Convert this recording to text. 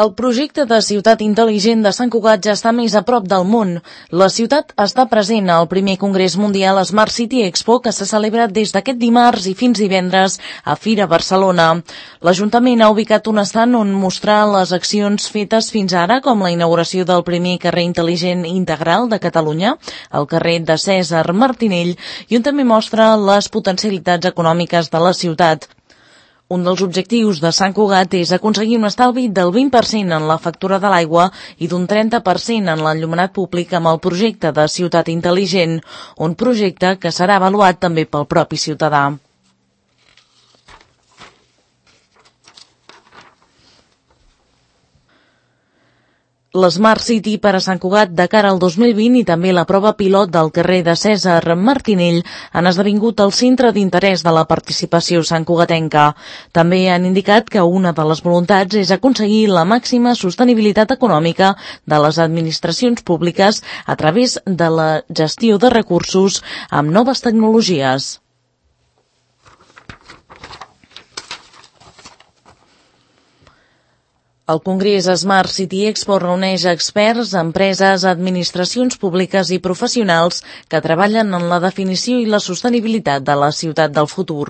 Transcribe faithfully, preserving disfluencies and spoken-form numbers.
El projecte de ciutat intel·ligent de Sant Cugat ja està més a prop del món. La ciutat està present al primer Congrés Mundial Smart City Expo, que se celebra des d'aquest dimarts i fins divendres a Fira Barcelona. L'Ajuntament ha ubicat un estand on mostrar les accions fetes fins ara, com la inauguració del primer carrer intel·ligent integral de Catalunya, el carrer de Cèsar Martinell, i on també mostra les potencialitats econòmiques de la ciutat. Un dels objectius de Sant Cugat és aconseguir un estalvi del vint per cent en la factura de l'aigua i d'un trenta per cent en l'enllumenat públic amb el projecte de ciutat intel·ligent, un projecte que serà avaluat també pel propi ciutadà. L'Smart City per a Sant Cugat de cara al dos mil vint i també la prova pilot del carrer de Cèsar Martinell han esdevingut el centre d'interès de la participació santcugatenca. També han indicat que una de les voluntats és aconseguir la màxima sostenibilitat econòmica de les administracions públiques a través de la gestió de recursos amb noves tecnologies. El Congrés Smart City Expo reuneix experts, empreses, administracions públiques i professionals que treballen en la definició i la sostenibilitat de la ciutat del futur.